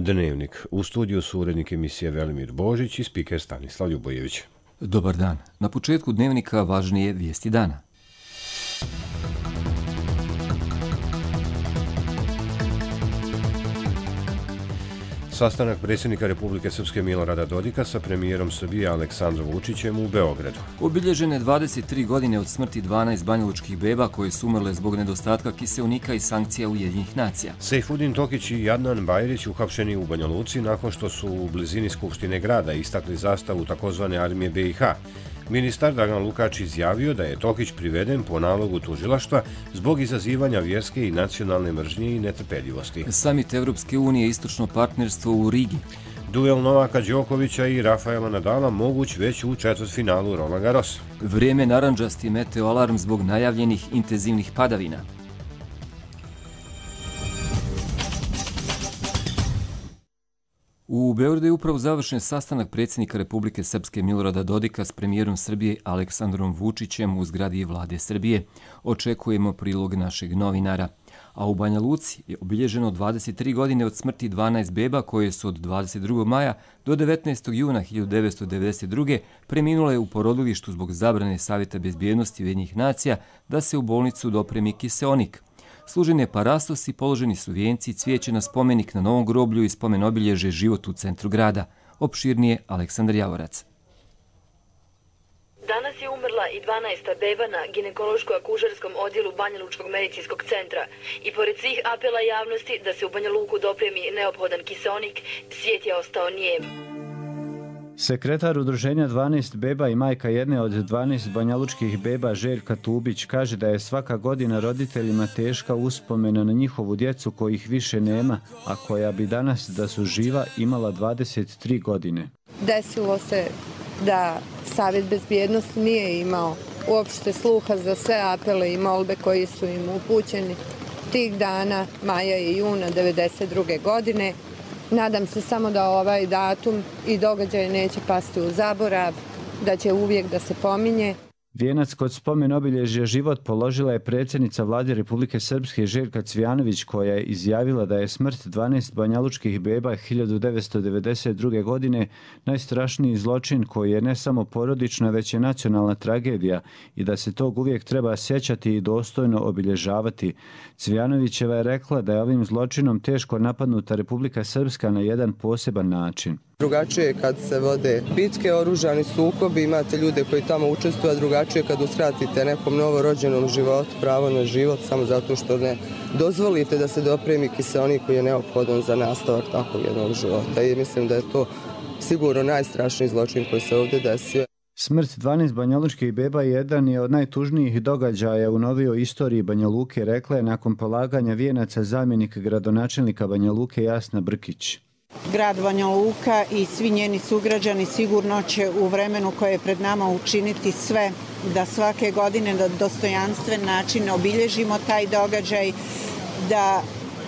Dnevnik. U studiju su urednik emisije Velimir Božić i spiker Stanislav Ljubojević. Dobar dan. Na početku Dnevnika važnije vijesti dana. Sastanak predsjednika Republike Srpske Milorada Dodika sa premijerom Srbije Aleksandrom Vučićem u Beogradu. Obilježene 23 godine od smrti 12 banjalučkih beba koje su umrle zbog nedostatka kiseonika i sankcija Ujedinjenih nacija. Sejfudin Tokić i Adnan Bajrić uhapšeni u Banja Luci nakon što su u blizini Skupštine grada istakli zastavu takozvane armije BiH. Ministar Dragan Lukač izjavio da je Tokić priveden po nalogu tužilaštva zbog izazivanja vjerske i nacionalne mržnje i netrpeljivosti. Samit Evropske unije istočno partnerstvo u Rigi. Duel Novaka Đokovića i Rafaela Nadala moguć već u četvrtfinalu Roland Garrosa. Vrijeme narandžasti meteoalarm zbog najavljenih intenzivnih padavina. U Beogradu je upravo završen sastanak predsjednika Republike Srpske Milorada Dodika s premijerom Srbije Aleksandrom Vučićem u zgradi Vlade Srbije. Očekujemo prilog našeg novinara. A u Banja Luci je obilježeno 23 godine od smrti 12 beba koje su od 22. maja do 19. juna 1992. preminule u porodilištu zbog zabrane Savjeta bezbjednosti Ujedinjenih nacija da se u bolnicu dopremi kiseonik. Služen je parastos i položeni su vijenci i cvijeće na spomenik na novom groblju i spomen obilježe Život u centru grada. Opširnije Aleksandar Javorac. Danas je umrla i 12. beba na ginekološko-akušerskom odjelu Banjalučkog medicinskog centra. I pored svih apela javnosti da se u Banja Luku dopremi neophodan kiseonik, svijet je ostao nijem. Sekretar udruženja 12 beba i majka jedne od 12 banjalučkih beba Željka Tubić kaže da je svaka godina roditeljima teška uspomena na njihovu djecu kojih više nema, a koja bi danas da su živa imala 23 godine. Desilo se da Savjet bezbjednosti nije imao uopšte sluha za sve apele i molbe koji su im upućeni tih dana, maja i juna 1992. godine. Nadam se samo da ovaj datum i događaj neće pasti u zaborav, da će uvijek da se pominje. Vijenac kod spomen obilježja Život položila je predsjednica Vlade Republike Srpske Željka Cvijanović, koja je izjavila da je smrt 12 banjalučkih beba 1992. godine najstrašniji zločin koji je ne samo porodična, već je nacionalna tragedija i da se tog uvijek treba sjećati i dostojno obilježavati. Cvijanovićeva je rekla da je ovim zločinom teško napadnuta Republika Srpska na jedan poseban način. Drugačije kad se vode bitke, oružani sukobi, imate ljude koji tamo učestvuju, a drugačije kad uskratite nekom novorođenom životu pravo na život samo zato što ne dozvolite da se dopremi kiseonik koji je neophodan za nastavak takvog jednog života. I mislim da je to sigurno najstrašniji zločin koji se ovdje desio. Smrt 12 banjalučkih beba jedan je od najtužnijih događaja u novijoj istoriji Banja Luke, rekla je nakon polaganja vijenaca zamjenik gradonačelnika Banja Luke Jasna Brkić. Grad Banja Luka i svi njeni sugrađani sigurno će u vremenu koje je pred nama učiniti sve da svake godine na dostojanstven način obilježimo taj događaj, da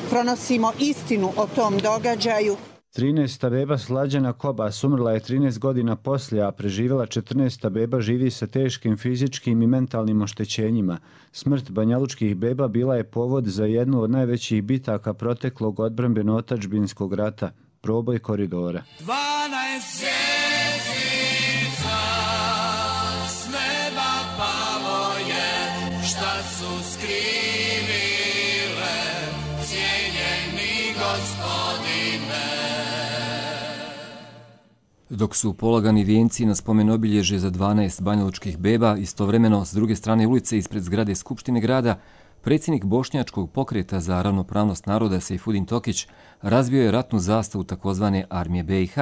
pronosimo istinu o tom događaju. 13. beba Slađana Kobas umrla je 13 godina poslije, a preživjela 14. beba živi sa teškim fizičkim i mentalnim oštećenjima. Smrt banjalučkih beba bila je povod za jednu od najvećih bitaka proteklog odbrambeno-otadžbinskog rata, proboj koridora. 12 zvjezdica s neba palo je, šta su skrivile cijenjeni gospodine. Dok su polagani vijenci na spomen obilježje za 12 banjalučkih beba, istovremeno s druge strane ulice ispred zgrade Skupštine grada, predsjednik Bošnjačkog pokreta za ravnopravnost naroda Sejfudin Tokić razbio je ratnu zastavu takozvane armije BiH.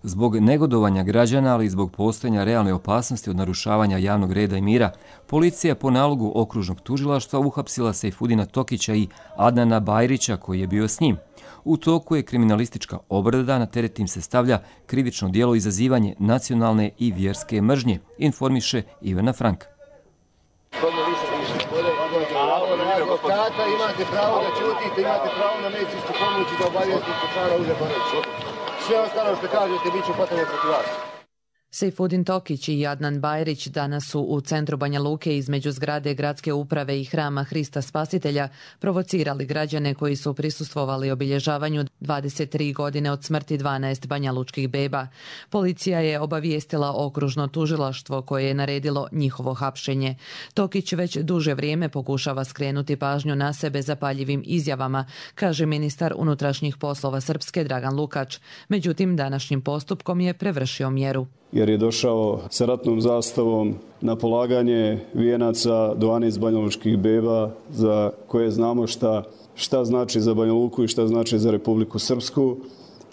Zbog negodovanja građana, ali i zbog postojanja realne opasnosti od narušavanja javnog reda i mira, policija po nalogu okružnog tužilaštva uhapsila Sejfudina Tokića i Adnana Bajrića koji je bio s njim. U toku je kriminalistička obrada, na teret im se stavlja krivično djelo izazivanje nacionalne i vjerske mržnje, informiše Ivana Frank. Advokata, imate pravo da ćutite, imate pravo na medicinsku pomoć i da obavijestite člana uže porodice. Sve ostalo što kažete bit će potrebno protiv vas. Sejfudin Tokić i Adnan Bajrić danas su u centru Banja Luke između zgrade Gradske uprave i Hrama Hrista Spasitelja provocirali građane koji su prisustvovali obilježavanju 23 godine od smrti 12 banjalučkih beba. Policija je obavijestila okružno tužilaštvo koje je naredilo njihovo hapšenje. Tokić već duže vrijeme pokušava skrenuti pažnju na sebe zapaljivim izjavama, kaže ministar unutrašnjih poslova Srpske Dragan Lukač. Međutim, današnjim postupkom je prevršio mjeru. Jer je došao sa ratnom zastavom na polaganje vijenaca 12 banjalučkih beba za koje znamo šta znači za Banja Luku i šta znači za Republiku Srpsku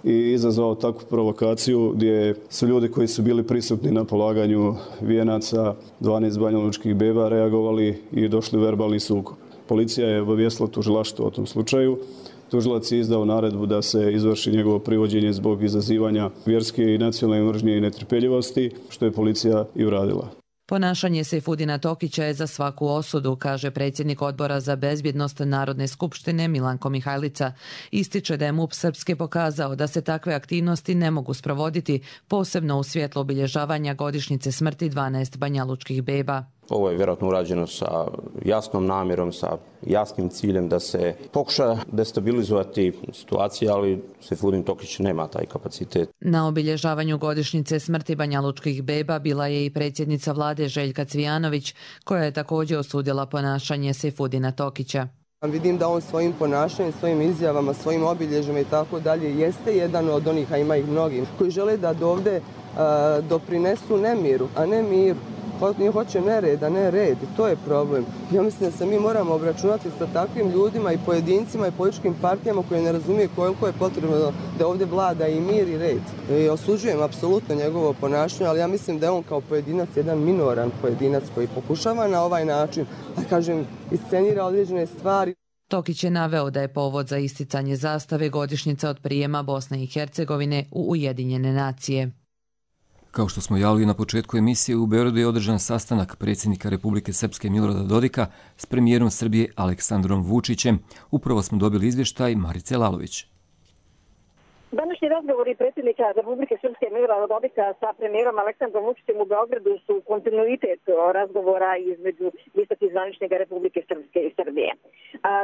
i izazvao takvu provokaciju gdje su ljudi koji su bili prisutni na polaganju vijenaca 12 banjalučkih beba reagovali i došli u verbalni sukob. Policija je obavijestila tužilaštvo o tom slučaju. Tužilac je izdao naredbu da se izvrši njegovo privođenje zbog izazivanja vjerske i nacionalne mržnje i netrpeljivosti, što je policija i uradila. Ponašanje Sejfudina Tokića je za svaku osudu, kaže predsjednik Odbora za bezbjednost Narodne skupštine Milanko Mihajlica. Ističe da je MUP Srpske pokazao da se takve aktivnosti ne mogu sprovoditi, posebno u svjetlu obilježavanja godišnjice smrti 12 banjalučkih beba. Ovo je vjerojatno urađeno sa jasnom namjerom, sa jasnim ciljem da se pokuša destabilizovati situacija, ali Sejfudin Tokić nema taj kapacitet. Na obilježavanju godišnjice smrti banjalučkih beba bila je i predsjednica vlade Željka Cvijanović, koja je također osudila ponašanje Sejfudina Tokića. Vidim da on svojim ponašanjem, svojim izjavama, svojim obilježjima i tako dalje jeste jedan od onih, a ima ih mnogi, koji žele da ovdje doprinesu nemiru, a ne miru. Oni hoće nered, a ne red. To je problem. Ja mislim da se mi moramo obračunati sa takvim ljudima i pojedincima i političkim partijama koji ne razumiju koliko je potrebno da ovdje vlada i mir i red. I osuđujem apsolutno njegovo ponašanje, ali ja mislim da je on kao pojedinac jedan minoran pojedinac koji pokušava na ovaj način, da kažem, iscenira određene stvari. Tokić je naveo da je povod za isticanje zastave godišnjica od prijema Bosne i Hercegovine u Ujedinjene nacije. Kao što smo javili na početku emisije, u Beogradu je održan sastanak predsjednika Republike Srpske Milorada Dodika s premijerom Srbije Aleksandrom Vučićem. Upravo smo dobili izvještaj Marice Lalović. Današnji razgovori predsjednika Republike Srpske Milorada Dodika sa premijerom Aleksandrom Vučićem u Beogradu su kontinuitet razgovora između visokih zvaničnika Republike Srpske i Srbije.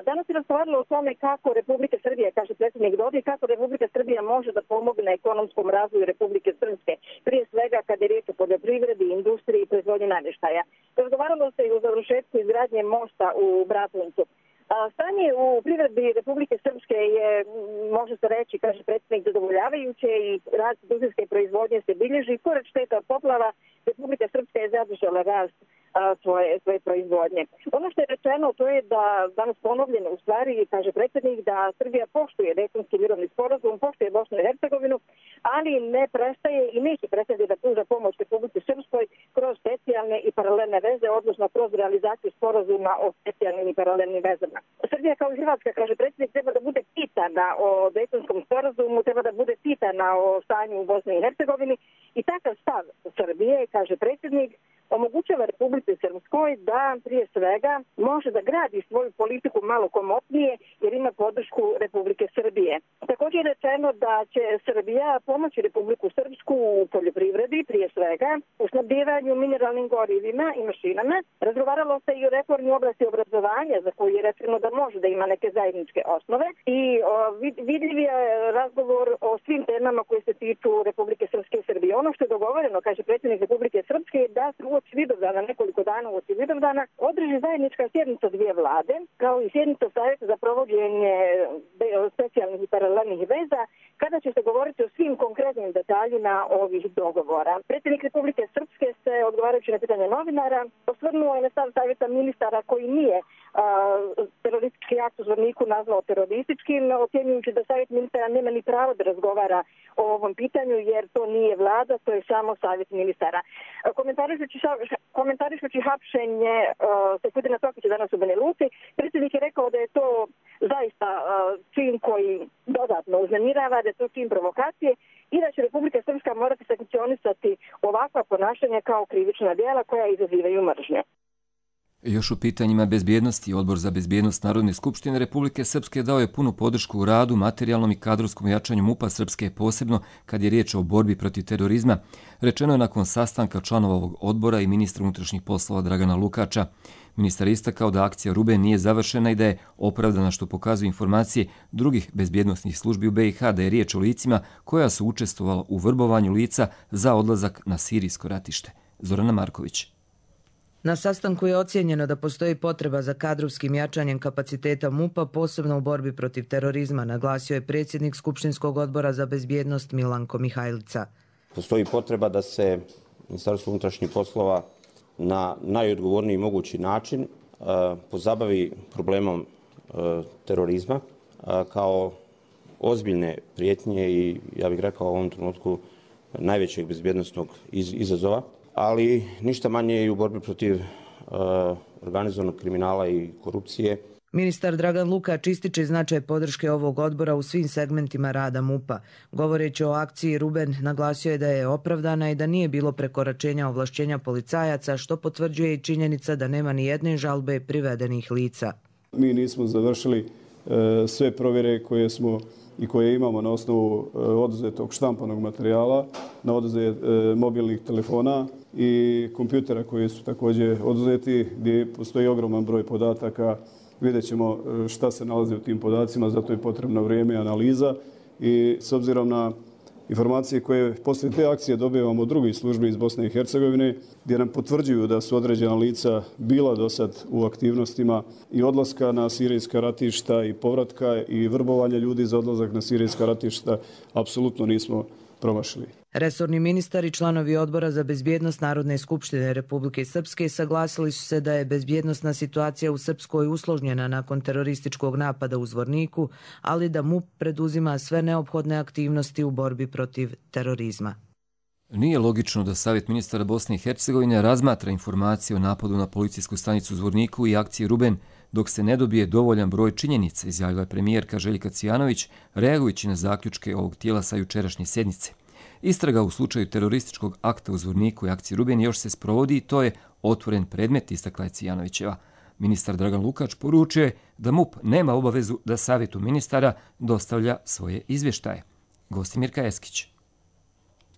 Danas je razgovaralo o tome kako Republika Srbije, kaže predsjednik Dodik, kako Republika Srbija može da pomogne ekonomskom razvoju Republike Srpske, prije svega kada je riječ o poljoprivredi, industriji i proizvodnji namještaja. Razgovaralo se i o završetku izgradnje mosta u Bratuncu. Stanje u privredi Republike Srpske je, može se reći, kaže predsjednik, zadovoljavajuće i rast industrijske proizvodnje se bilježi. Pored šteta od poplava, Republika Srpska je zadržala rast svoje proizvodnje. Ono što je rečeno, to je da danas ponovljeno u stvari, kaže predsjednik, da Srbija poštuje Dejtonski mirovni sporazum, poštuje Bosnu i Hercegovinu, ali ne prestaje i neće prestati da pruža pomoć Republike Srpskoj kroz specijalne i paralelne veze, odnosno kroz realizaciju sporazuma o specijalnim i paralelnim vezama. Srbija kao i Hrvatska, kaže predsjednik, treba da bude pitana o Dejtonskom sporazumu, treba da bude pitana o stanju u Bosni i Hercegovini i takav stav Srbije, kaže predsjednik, omogućava Republike Srpskoj da prije svega može da gradi svoju politiku malo komotnije jer ima podršku Republike Srbije. Također je rečeno da će Srbija pomoći Republiku Srpsku u poljoprivredi, prije svega u snabdijevanju mineralnim gorivima i mašinama. Razgovaralo se i o reformi u oblasti obrazovanja za koju je rečeno da može da ima neke zajedničke osnove i vidljiv je razgovor o svim temama koje se tiču Republike Srpske i Srbije. Ono što je dogovoreno, kaže predsjednik Republike Srpske, je da se uoči Vidovdana, nekoliko dana uoči Vidovdana, održi zajednička sjednica dvije vlade, kao i sjednica Savjeta za provođenje specijalnih i paralelnih veza, kada će se govoriti o svim konkretnim detaljima ovih dogovora. Predsjednik Republike Srpske se, odgovarajući na pitanje novinara, osvrnuo je na stav Savjeta ministara koji nije teroristički akt u Zvorniku nazvao terorističkim, ocjenjujući da Savjet ministara nema ni pravo da razgovara o ovom pitanju, jer to nije vlada, to je samo Savjet ministara. Komentarišući hapšenje Sejfudina Tokića danas u Banja Luci, predsjednik je rekao da je to zaista čin koji dodatno uznemirava, da je to čin provokacije i da će Republika Srpska morati sankcionisati ovakva ponašanja kao krivična djela koja izazivaju mržnju. Još u pitanjima bezbjednosti, Odbor za bezbjednost Narodne skupštine Republike Srpske dao je punu podršku u radu, materijalnom i kadrovskom jačanju MUP-a Srpske, posebno kad je riječ o borbi protiv terorizma, rečeno je nakon sastanka članova ovog odbora i ministra unutrašnjih poslova Dragana Lukača. Ministar istakao da akcija Ruben nije završena i da je opravdana, što pokazuju informacije drugih bezbjednosnih službi u BiH, da je riječ o licima koja su učestvovala u vrbovanju lica za odlazak na sirijsko ratište. Zorana Marković. Na sastanku je ocijenjeno da postoji potreba za kadrovskim jačanjem kapaciteta MUP-a, posebno u borbi protiv terorizma, naglasio je predsjednik Skupštinskog odbora za bezbjednost Milanko Mihajlica. Postoji potreba da se Ministarstvo unutrašnjih poslova na najodgovorniji mogući način pozabavi problemom terorizma kao ozbiljne prijetnje i, ja bih rekao, u ovom trenutku najvećeg bezbjednosnog izazova, ali ništa manje i u borbi protiv organizovanog kriminala i korupcije. Ministar Dragan Lukač ističe značaj podrške ovog odbora u svim segmentima rada MUP-a. Govoreći o akciji Ruben, naglasio je da je opravdana i da nije bilo prekoračenja ovlašćenja policajaca, što potvrđuje i činjenica da nema ni jedne žalbe privedenih lica. Mi nismo završili sve provjere koje smo i koje imamo na osnovu oduzetog štampanog materijala, na oduzet mobilnih telefona i kompjutera koji su također oduzeti, gdje postoji ogroman broj podataka. Vidjet ćemo šta se nalazi u tim podacima, zato je potrebno vrijeme i analiza. I s obzirom na informacije koje poslije te akcije dobivamo od drugih službi iz Bosne i Hercegovine, gdje nam potvrđuju da su određena lica bila do sad u aktivnostima i odlaska na sirijska ratišta i povratka i vrbovanja ljudi za odlazak na sirijska ratišta, apsolutno nismo promašili. Resorni ministar i članovi Odbora za bezbjednost Narodne skupštine Republike Srpske saglasili su se da je bezbjednosna situacija u Srpskoj usložnjena nakon terorističkog napada u Zvorniku, ali da MUP preduzima sve neophodne aktivnosti u borbi protiv terorizma. Nije logično da Savjet ministara Bosne i Hercegovine razmatra informacije o napadu na policijsku stanicu u Zvorniku i akciji Ruben dok se ne dobije dovoljan broj činjenica, izjavila je premijerka Željka Cvijanović, reagujući na zaključke ovog tijela sa jučerašnje sjednice. Istraga u slučaju terorističkog akta u Zvorniku i akciji Ruben još se sprovodi i to je otvoren predmet, istakla je Cvijanovićeva. Ministar Dragan Lukač poručuje da MUP nema obavezu da Savjetu ministara dostavlja svoje izvještaje. Gostimirka Eskić.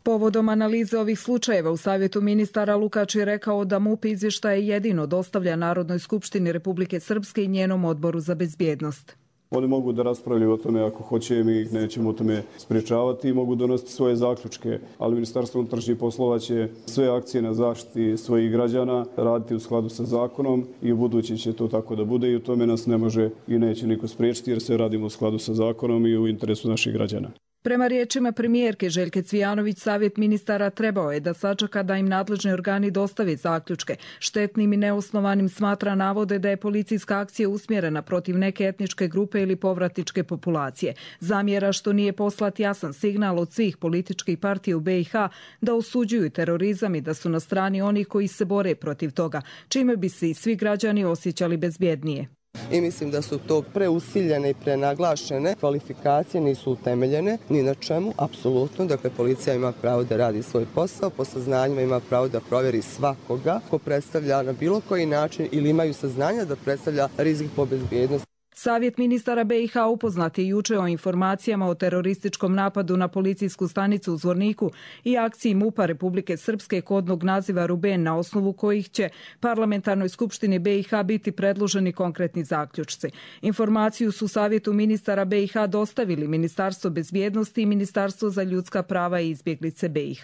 Povodom analize ovih slučajeva u Savjetu ministara Lukač je rekao da MUP izvještaje jedino dostavlja Narodnoj skupštini Republike Srpske i njenom odboru za bezbjednost. Oni mogu da raspravljaju o tome ako hoće, mi ih nećemo o tome spriječavati i mogu donositi svoje zaključke, ali Ministarstvo unutrašnjih poslova će sve akcije na zaštiti svojih građana raditi u skladu sa zakonom i u budući će to tako da bude i u tome nas ne može i neće niko spriječiti jer sve radimo u skladu sa zakonom i u interesu naših građana. Prema riječima premijerke Željke Cvijanović, Savjet ministara trebao je da sačeka da im nadležni organi dostave zaključke. Štetnim i neosnovanim smatra navode da je policijska akcija usmjerena protiv neke etničke grupe ili povratničke populacije. Zamjera što nije poslat jasan signal od svih političkih partija u BiH da osuđuju terorizam i da su na strani onih koji se bore protiv toga, čime bi se i svi građani osjećali bezbjednije. I mislim da su to preusiljene i prenaglašene kvalifikacije, nisu utemeljene ni na čemu, apsolutno. Dakle, policija ima pravo da radi svoj posao, po saznanjima ima pravo da provjeri svakoga ko predstavlja na bilo koji način ili imaju saznanja da predstavlja rizik po bezbjednost. Savjet ministara BiH upoznat je juče o informacijama o terorističkom napadu na policijsku stanicu u Zvorniku i akciji MUP-a Republike Srpske kodnog naziva Ruben, na osnovu kojih će Parlamentarnoj skupštini BiH biti predloženi konkretni zaključci. Informaciju su Savjetu ministara BiH dostavili Ministarstvo bezbjednosti i Ministarstvo za ljudska prava i izbjeglice BiH.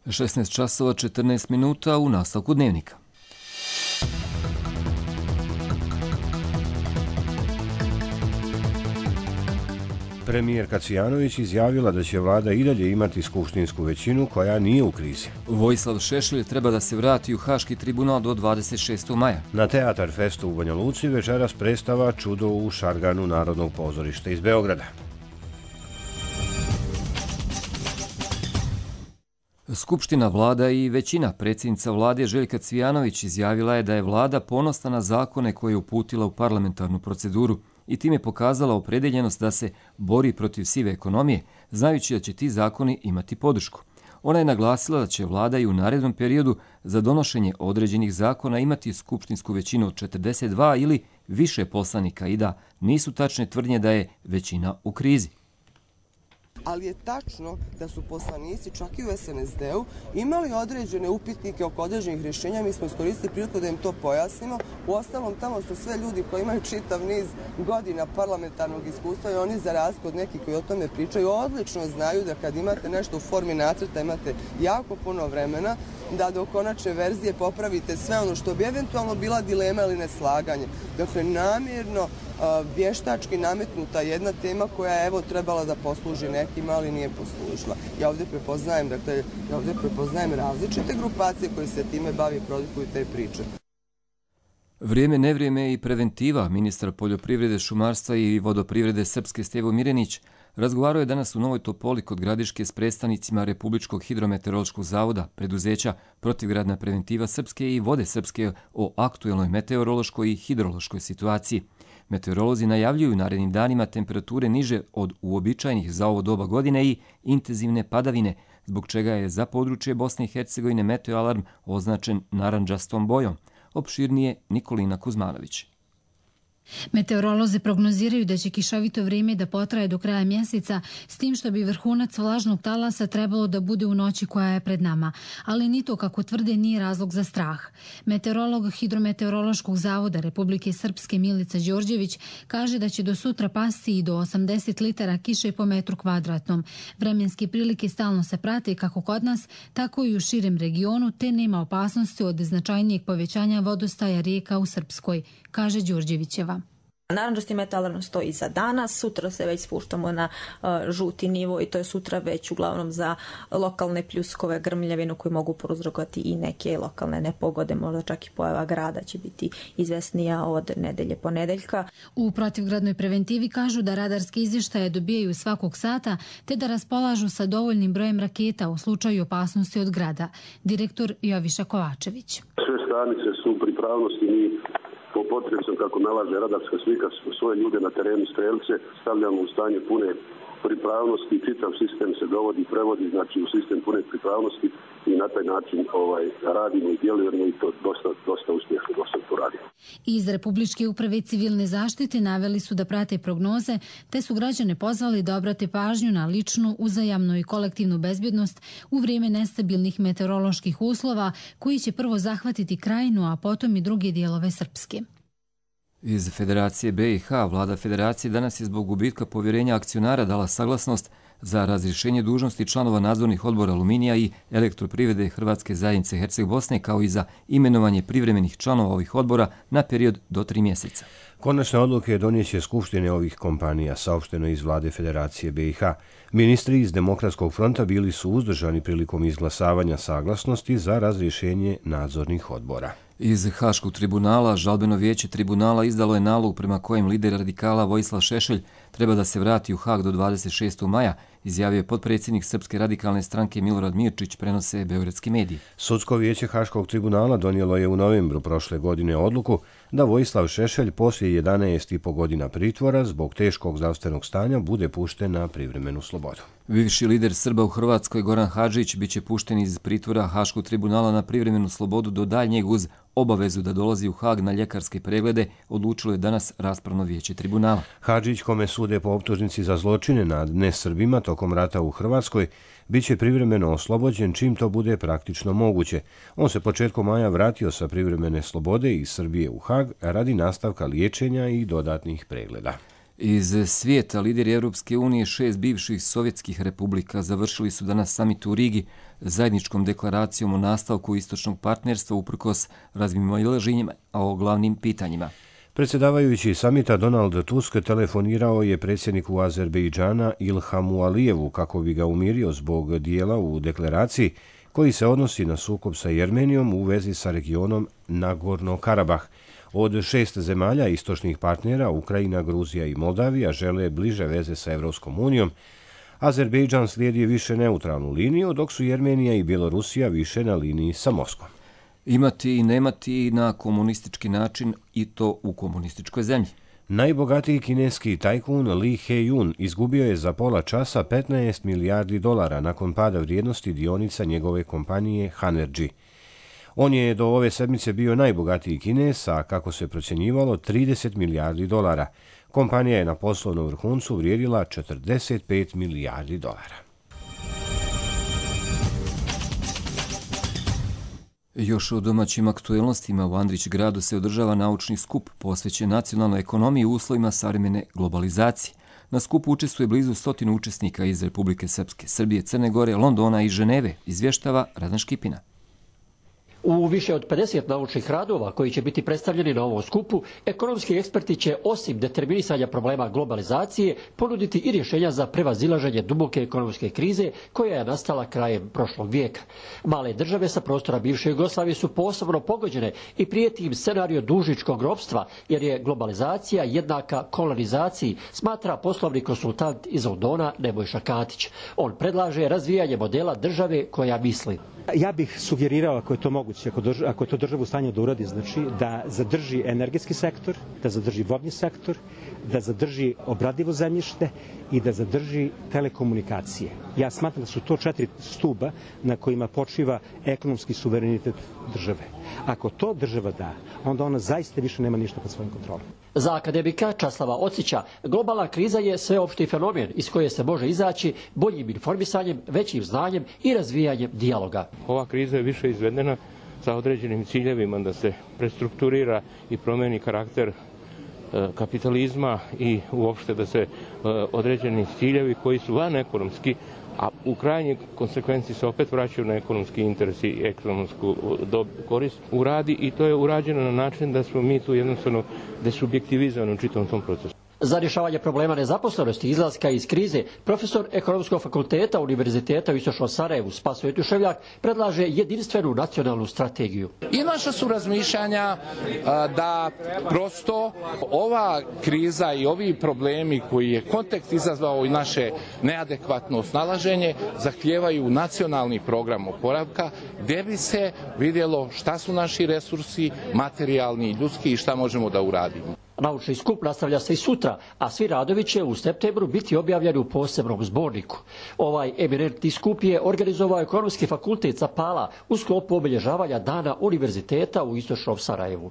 16 časova 14 minuta u nastavku dnevnika. Premijerka Cvijanović izjavila da će vlada i dalje imati skupštinsku većinu koja nije u krizi. Vojislav Šešelj treba da se vrati u Haški tribunal do 26. maja. Na Teatar Festu u Banja Luci večeras predstava Čudo u Šarganu Narodnog pozorišta iz Beograda. Skupština, vlada i većina, predsjednica vlade Željka Cvijanović izjavila je da je vlada ponosna na zakone koje je uputila u parlamentarnu proceduru i time pokazala opredeljenost da se bori protiv sive ekonomije, znajući da će ti zakoni imati podršku. Ona je naglasila da će vlada i u narednom periodu za donošenje određenih zakona imati skupštinsku većinu od 42 ili više poslanika i da nisu tačne tvrdnje da je većina u krizi. Ali je tačno da su poslanici, čak i u SNSD-u, imali određene upitnike oko određenih rješenja. Mi smo iskoristili priliku da im to pojasnimo. Uostalom, tamo su sve ljudi koji imaju čitav niz godina parlamentarnog iskustva i oni, za razliku od nekih koji o tome pričaju, odlično znaju da kad imate nešto u formi nacrta, imate jako puno vremena da do konačne verzije popravite sve ono što bi eventualno bila dilema ili neslaganje. Dakle, namjerno vještački nametnuta jedna tema koja je trebala da posluži nekima, ali nije poslužila. Ja ovdje prepoznajem različite grupacije koje se time bavi i produkuju te priče. Vrijeme, nevrijeme i preventiva. Ministar poljoprivrede, šumarstva i vodoprivrede Srpske Stevo Mirenić razgovarao je danas u Novoj Topoli kod Gradiške s predstavnicima Republičkog hidrometeorološkog zavoda, preduzeća Protivgradna preventiva Srpske i Vode Srpske o aktuelnoj meteorološkoj i hidrološkoj situaciji. Meteorolozi najavljuju narednim danima temperature niže od uobičajenih za ovo doba godine i intenzivne padavine, zbog čega je za područje Bosne i Hercegovine meteoalarm označen narandžastom bojom. Opširnije Nikolina Kuzmanović. Meteorolozi prognoziraju da će kišovito vrijeme da potraje do kraja mjeseca, s tim što bi vrhunac vlažnog talasa trebalo da bude u noći koja je pred nama, ali ni to, kako tvrde, nije razlog za strah. Meteorolog Hidrometeorološkog zavoda Republike Srpske Milica Đorđević kaže da će do sutra pasti i do 80 litara kiše po metru kvadratnom. Vremenske prilike stalno se prate kako kod nas, tako i u širem regionu, te nema opasnosti od značajnijeg povećanja vodostaja rijeka u Srpskoj, kaže Đorđevićeva. Narandžasti meteoalarm stoji za danas, sutra se već spuštamo na žuti nivo i to je sutra već uglavnom za lokalne pljuskove, grmljavinu koji mogu prouzrokovati i neke lokalne nepogode, možda čak i pojava grada će biti izvesnija od nedelje ponedeljka. U protivgradnoj preventivi kažu da radarske izvještaje dobijaju svakog sata te da raspolažu sa dovoljnim brojem raketa u slučaju opasnosti od grada. Direktor Joviša Kovačević. Sve stanice su u pripravnosti, mi po potrebom, kako nalaže radarska slika, svoje ljude na terenu, strelce, stavljamo u stanje pune pripravnosti, čitav sistem se dovodi, prevodi, znači u sistem pune pripravnosti i na taj način radimo i djelujemo i to dosta uspješno, dosta to radimo. Iz Republičke uprave civilne zaštite naveli su da prate prognoze, te su građane pozvali da obrate pažnju na ličnu, uzajamnu i kolektivnu bezbjednost u vrijeme nestabilnih meteoroloških uslova koji će prvo zahvatiti Krajinu, a potom i druge dijelove Srpske. Iz Federacije BiH, vlada Federacije danas je zbog gubitka povjerenja akcionara dala saglasnost za razrješenje dužnosti članova nadzornih odbora Aluminija i Elektroprivrede Hrvatske zajednice Herceg-Bosne, kao i za imenovanje privremenih članova ovih odbora na period do 3 mjeseca. Konačne odluke donijeće skupštine ovih kompanija, saopšteno iz vlade Federacije BiH. Ministri iz Demokratskog fronta bili su uzdržani prilikom izglasavanja saglasnosti za razrješenje nadzornih odbora. Iz Haškog tribunala, žalbeno vijeće tribunala izdalo je nalog prema kojem lider radikala Vojislav Šešelj treba da se vrati u Hag do 26. maja, izjavio je potpredsjednik Srpske radikalne stranke Milorad Mirčić, prenose beogradski mediji. Sudsko vijeće Haškog tribunala donijelo je u novembru prošle godine odluku da Vojislav Šešelj poslije 11,5 godina pritvora zbog teškog zdravstvenog stanja bude pušten na privremenu slobodu. Bivši lider Srba u Hrvatskoj Goran Hadžić biće pušten iz pritvora Haškog tribunala na privremenu slobodu do daljnjeg uz obavezu da dolazi u Hag na ljekarske preglede, odlučilo je danas raspravno vijeće tribunala. Hadžić, kome sude po optužnici za zločine nad nesrbima tokom rata u Hrvatskoj, biće privremeno oslobođen čim to bude praktično moguće. On se početkom maja vratio sa privremene slobode iz Srbije u Hag radi nastavka liječenja i dodatnih pregleda. Iz svijeta lideri Europske unije 6 bivših sovjetskih republika završili su danas samit u Rigi zajedničkom deklaracijom o nastavku istočnog partnerstva uprkos razmimoilaženjima o glavnim pitanjima. Predsjedavajući samita Donald Tusk telefonirao je predsjedniku Azerbejdžana Ilhamu Alijevu kako bi ga umirio zbog dijela u deklaraciji koji se odnosi na sukob sa Jermenijom u vezi sa regionom Nagorno-Karabah. Od 6 zemalja istočnih partnera, Ukrajina, Gruzija i Moldavija, žele bliže veze sa Evropskom unijom. Azerbejdžan slijedi više neutralnu liniju, dok su Jermenija i Bjelorusija više na liniji sa Moskvom. Imati i nemati na komunistički način i to u komunističkoj zemlji. Najbogatiji kineski tajkun Li He-jun izgubio je za pola časa 15 milijardi dolara nakon pada vrijednosti dionica njegove kompanije Hanergy. On je do ove sedmice bio najbogatiji Kines, a kako se procjenjivalo 30 milijardi dolara. Kompanija je na poslovnom vrhuncu vrijedila 45 milijardi dolara. Još o domaćim aktuelnostima u Andrić gradu se održava naučni skup posvećen nacionalnoj ekonomiji u uslovima savremene globalizacije. Na skupu učestvuje blizu 100 učesnika iz Republike Srpske, Srbije, Crne Gore, Londona i Ženeve, izvještava Radan Škipina. U više od 50 naučnih radova koji će biti predstavljeni na ovom skupu, ekonomski eksperti će osim determinisanja problema globalizacije ponuditi i rješenja za prevazilaženje duboke ekonomske krize koja je nastala krajem prošlog vijeka. Male države sa prostora bivše Jugoslavije su posebno pogođene i prijeti im scenario dužničkog ropstva jer je globalizacija jednaka kolonizaciji, smatra poslovni konsultant iz Londona Nebojša Katić. On predlaže razvijanje modela države koja misli. Ja bih sugerirao, ako je to moguće, ako je to država u stanju da uradi, znači da zadrži energetski sektor, da zadrži vodni sektor, da zadrži obradivo zemljište i da zadrži telekomunikacije. Ja smatram da su to 4 stuba na kojima počiva ekonomski suverenitet države. Ako to država da, onda ona zaista više nema ništa pod svojim kontrolom. Za akademika Časlava Ocića, globalna kriza je sveopšti fenomen iz koje se može izaći boljim informisanjem, većim znanjem i razvijanjem dijaloga. Ova kriza je više izvedena sa određenim ciljevima da se prestrukturira i promeni karakter kapitalizma i uopšte da se određeni ciljevi koji su van ekonomski, a u krajnjoj konsekvenciji se opet vraćaju na ekonomski interes i ekonomsku korist uradi i to je urađeno na način da smo mi tu jednostavno desubjektivizovani u čitavom tom procesu. Za rješavanje problema nezaposlenosti i izlaska iz krize, profesor Ekonomskog fakulteta Univerziteta u Istočnom Sarajevu Spasoje Tuševljak predlaže jedinstvenu nacionalnu strategiju. I naša su razmišljanja da prosto ova kriza i ovi problemi koji je kontekst izazvao i naše neadekvatno snalaženje zahtijevaju nacionalni program oporavka gdje bi se vidjelo šta su naši resursi, materijalni i ljudski i šta možemo da uradimo. Naučni skup nastavlja se i sutra, a svi radovi će u septembru biti objavljeni u posebnom zborniku. Ovaj eminentni skup je organizovao Ekonomski fakultet Sapala u sklopu obilježavanja Dana univerziteta u Istočnom Sarajevu.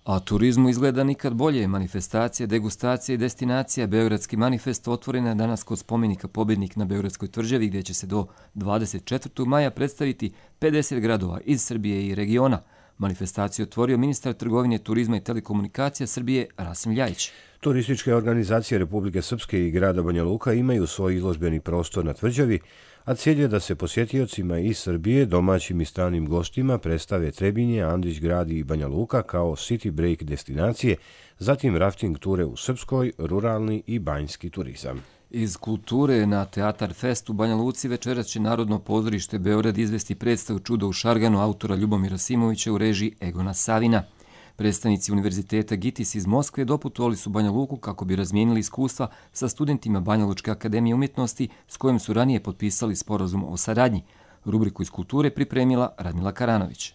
A turizmu izgleda nikad bolje. Manifestacije, degustacije i destinacija Beogradski manifest otvorena je danas kod spomenika Pobjednik na Beogradskoj tvrđavi gdje će se do 24. maja predstaviti 50 gradova iz Srbije i regiona. Manifestaciju otvorio ministar trgovine, turizma i telekomunikacija Srbije Rasim Ljajić. Turističke organizacije Republike Srpske i grada Banja Luka imaju svoj izložbeni prostor na tvrđavi, a cilj je da se posjetiocima iz Srbije, domaćim i stranim gostima predstave Trebinje, Andrić grad i Banja Luka kao city break destinacije, zatim rafting ture u Srpskoj, ruralni i banjski turizam. Iz kulture na Teatar Fest u Banja Luci večeras će Narodno pozorište Beograd izvesti predstavu Čudo u Šarganu autora Ljubomira Simovića u režiji Egona Savina. Predstavnici Univerziteta GITIS iz Moskve doputovali su Banja Luku kako bi razmijenili iskustva sa studentima Banja Lučke akademije umjetnosti s kojim su ranije potpisali sporazum o saradnji. Rubriku iz kulture pripremila Radmila Karanović.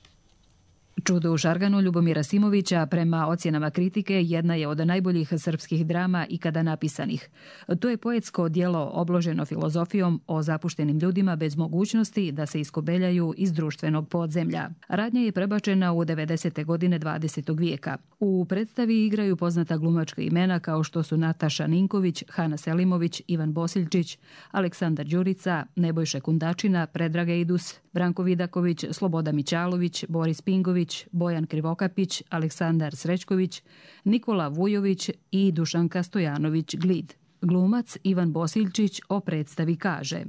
Čudo u Šarganu Ljubomira Simovića prema ocjenama kritike jedna je od najboljih srpskih drama ikada napisanih. To je poetsko djelo obloženo filozofijom o zapuštenim ljudima bez mogućnosti da se iskobeljaju iz društvenog podzemlja. Radnja je prebačena u 90. godine 20. vijeka. U predstavi igraju poznata glumačka imena kao što su Nataša Ninković, Hana Selimović, Ivan Bosiljčić, Aleksandar Đurica, Nebojša Kundačina, Predrag Ejdus, Branko Vidaković, Sloboda Mićalović, Boris Pingović, Bojan Krivokapić, Aleksandar Srećković, Nikola Vujović i Dušanka Stojanović-Glid. Glumac Ivan Bosiljčić o predstavi kaže: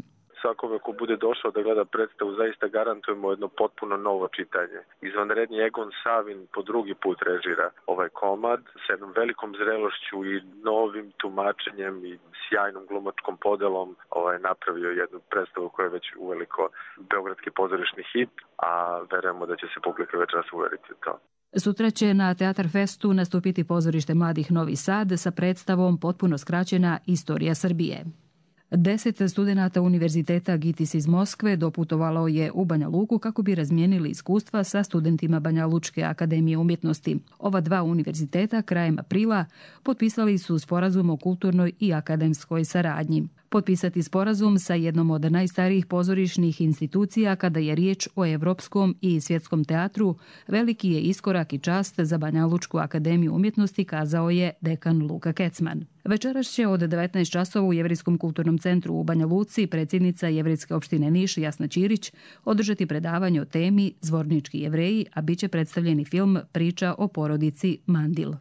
Svakome ko bude došao da gleda predstavu zaista garantujemo jedno potpuno novo čitanje. Izvanredni Egon Savin po drugi put režira ovaj komad s jednom velikom zrelošću i novim tumačenjem i sjajnom glumačkom podelom napravio jednu predstavu koja je već uveliko beogradski pozorišni hit, a verujemo da će se publika večeras uveriti u to. Sutra će na Teatar Festu nastupiti pozorište Mladih Novi Sad sa predstavom potpuno skraćena Istorija Srbije. 10 studenata Univerziteta GITIS iz Moskve doputovalo je u Banja Luku kako bi razmijenili iskustva sa studentima Banja Lučke akademije umjetnosti. Ova dva univerziteta krajem aprila potpisali su sporazum o kulturnoj i akademskoj saradnji. Potpisati sporazum sa jednom od najstarijih pozorišnih institucija kada je riječ o evropskom i svjetskom teatru veliki je iskorak i čast za Banja Lučku akademiju umjetnosti, kazao je dekan Luka Kecman. Večeras će od 19 časova u Jevrijskom kulturnom centru u Banja Luci predsjednica Jevrijske opštine Niš Jasna Ćirić održati predavanje o temi Zvornički Jevreji, a bit će predstavljeni film Priča o porodici Mandil.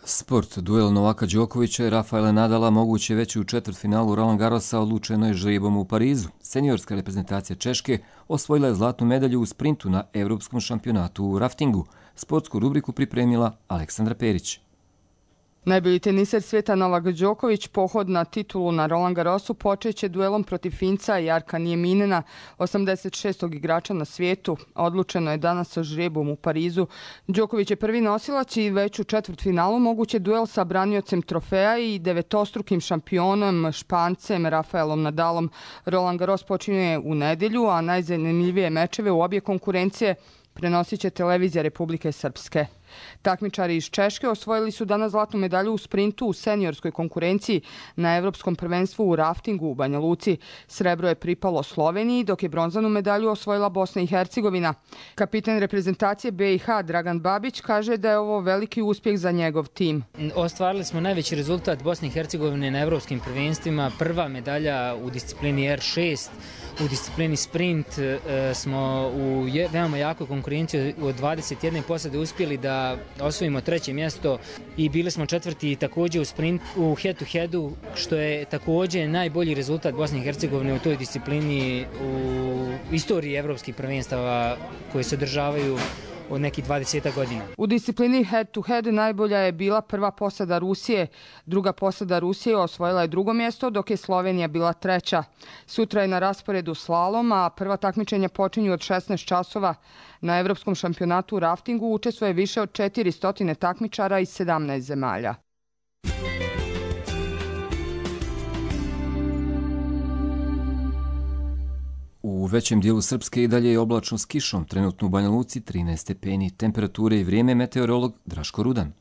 Sport. Duel Novaka Đokovića i Rafaela Nadala moguće već u četvrtfinalu Roland Garrosa odlučeno je žrebom u Parizu. Seniorska reprezentacija Češke osvojila je zlatnu medalju u sprintu na Evropskom šampionatu u raftingu. Sportsku rubriku pripremila Aleksandra Perić. Najbolji teniser svijeta Novak Đoković pohod na titulu na Roland Garrosu počeće duelom protiv Finca Jarka Nieminena, 86. igrača na svijetu. Odlučeno je danas sa žrebom u Parizu. Đoković je prvi nosilac i već u četvrtfinalu moguće duel sa braniocem trofeja i devetostrukim šampionom Špancem Rafaelom Nadalom. Roland Garros počinje u nedjelju, a najzanimljivije mečeve u obje konkurencije prenosit će televizija Republike Srpske. Takmičari iz Češke osvojili su danas zlatnu medalju u sprintu u seniorskoj konkurenciji na Evropskom prvenstvu u raftingu u Banja Luci. Srebro je pripalo Sloveniji, dok je bronzanu medalju osvojila Bosna i Hercegovina. Kapitan reprezentacije BiH Dragan Babić kaže da je ovo veliki uspjeh za njegov tim. Ostvarili smo najveći rezultat Bosne i Hercegovine na Evropskim prvenstvima. Prva medalja u disciplini R6. U disciplini sprint smo u veoma jakoj konkurenciji od 21 posade uspjeli da osvojimo treće mjesto i bili smo četvrti također u sprint u head-to-headu, što je također najbolji rezultat Bosne i Hercegovine u toj disciplini u istoriji evropskih prvenstava koje se održavaju od nekih 20 godina. U disciplini head-to-head najbolja je bila prva posada Rusije. Druga posada Rusije osvojila je drugo mjesto, dok je Slovenija bila treća. Sutra je na rasporedu slalom, a prva takmičenja počinju od 16 časova. Na Evropskom šampionatu u raftingu učestvuje više od 400 takmičara iz 17 zemalja. U većem dijelu Srpske i dalje je oblačno s kišom, trenutno u Banja Luci 13 stepeni. Temperature i vrijeme meteorolog Draško Rudan.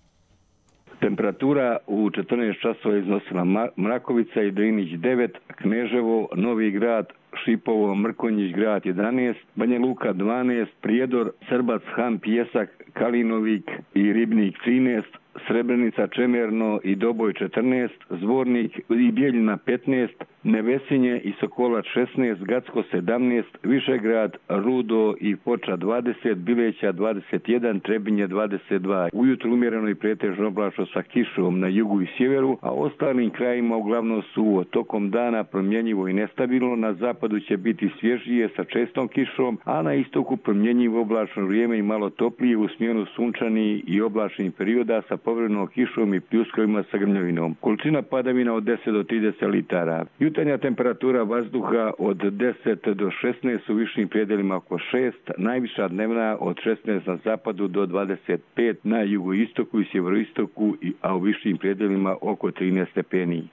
Temperatura u 14 časova iznosila Mrakovica i Drinić 9, Kneževo, Novi Grad, Šipovo, Mrkonjić grad 11, Banja Luka 12, Prijedor, Srbac, Han, Pjesak, Kalinovik i Ribnik 13, Srebrenica, Čemerno i Doboj 14, Zvornik i Bijeljina 15, Nevesinje i Sokolac 16, Gacko 17, Višegrad, Rudo i Foča 20, Bileća 21, Trebinje 22. Ujutro umjereno i pretežno oblačno sa kišom na jugu i sjeveru, a ostalim krajima uglavnom su tokom dana promjenjivo i nestabilno. Na zapadu će biti svježije sa čestom kišom, a na istoku promjenjivo oblačno vrijeme i malo toplije u smjenu sunčani i oblačnih perioda sa povremenom kišom i pljuskovima sa grmljavinom. Količina padavina od 10 do 30 litara. Jutarnja temperatura vazduha od 10 do 16 u višim predelima oko 6, najviša dnevna od 16 na zapadu do 25 na jugoistoku i sjeveroistoku, a u višim predelima oko 13 stepeni.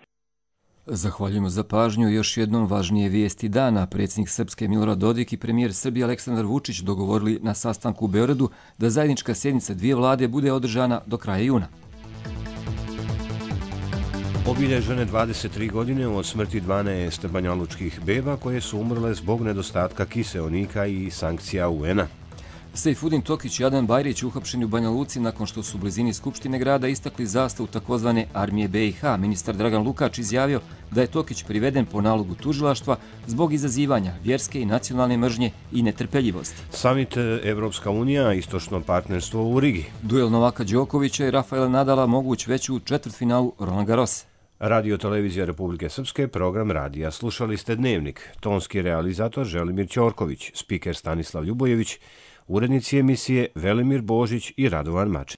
Zahvaljujemo za pažnju. Još jednom važnije vijesti dana. Predsjednik Srpske Milorad Dodik i premijer Srbije Aleksandar Vučić dogovorili na sastanku u Beogradu da zajednička sjednica dvije vlade bude održana do kraja juna. Obilježene 23 godine od smrti 12 banjalučkih beba koje su umrle zbog nedostatka kiseonika i sankcija UN-a. Sejfudin Tokić i Adnan Bajrić uhapšeni u Banja Luci nakon što su u blizini Skupštine grada istakli zastavu takozvane armije BiH. Ministar Dragan Lukač izjavio da je Tokić priveden po nalogu tužilaštva zbog izazivanja vjerske i nacionalne mržnje i netrpeljivosti. Samit Evropska unija, istočno partnerstvo u Rigi. Duel Novaka Đokovića i Rafaela Nadala moguć već u četvrtfinalu Roland Garrosa. Radio televizija Republike Srpske, program radija. Slušali ste Dnevnik. Tonski realizator Želimir Ćorković, spiker Stanislav Ljubojević, urednici emisije Velimir Božić i Radovan Mačin.